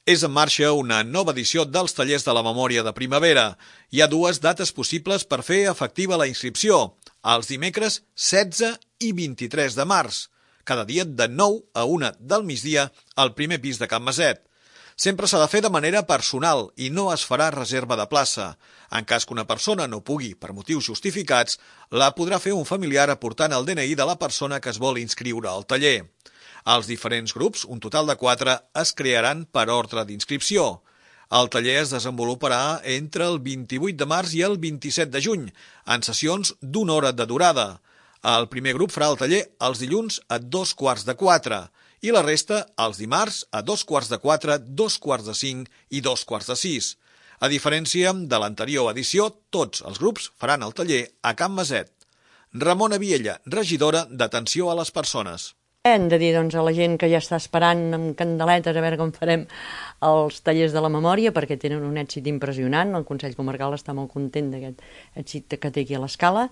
És en marxa una nova edició dels tallers de la memòria de primavera. Hi ha dues dates possibles per fer efectiva la inscripció, els dimecres 16 i 23 de març, cada dia de 9 a 1 del migdia al primer pis de Can Maset. Sempre s'ha de fer de manera personal i no es farà reserva de plaça. En cas que una persona no pugui, per motius justificats, la podrà fer un familiar aportant el DNI de la persona que es vol inscriure al taller. Els diferents grups, un total de 4, es crearan per ordre d'inscripció. El taller es desenvoluparà entre el 28 de març i el 27 de juny, en sessions d'1 hora de durada. El primer grup farà el taller els dilluns a 3:45 i la resta els dimarts a 3:45, 5:45 i 5:45. A diferència de l'anterior edició, tots els grups faran el taller a Can Maset. Ramona Viella, regidora d'Atenció a les Persones. Hem de dir a la gent que ja està esperant amb candeletes a veure com farem els tallers de la memòria, perquè tenen un èxit impressionant. El Consell Comarcal està molt content d'aquest èxit que té aquí a l'Escala.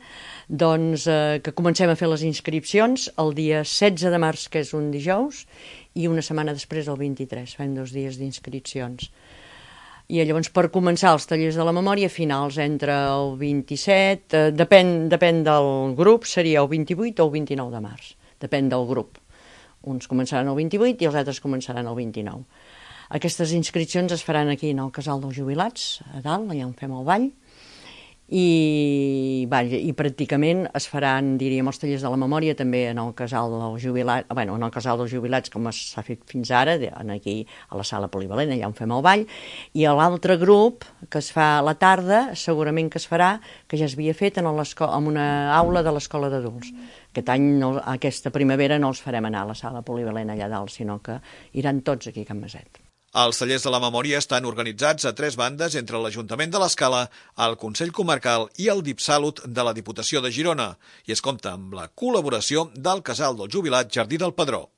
Doncs que comencem a fer les inscripcions el dia 16 de març, que és un dijous, i una setmana després, el 23. Fem 2 dies d'inscripcions. I llavors, per començar els tallers de la memòria, finals entre el 27, depèn del grup, seria el 28 o el 29 de març. Depèn del grup. Uns començaran el 28 i els altres començaran el 29. Aquestes inscripcions es faran aquí en el Casal dels Jubilats, a dalt, allà on fem el ball, i pràcticament es faran, diríem, els tallers de la memòria també en el Casal dels Jubilats, en el Casal dels Jubilats, com s'ha fet fins ara, aquí a la sala polivalent, allà on fem el ball, i l'altre grup que es fa a la tarda, segurament que es farà, que ja s'havia fet en una aula de l'escola d'adults. Aquest any, aquesta primavera, no els farem anar a la sala polivalent allà dalt, sinó que iran tots aquí a Can Maset. Els tallers de la memòria estan organitzats a 3 bandes entre l'Ajuntament de l'Escala, el Consell Comarcal i el DIPSalut de la Diputació de Girona, i es compta amb la col·laboració del Casal del Jubilat Jardí del Pedró.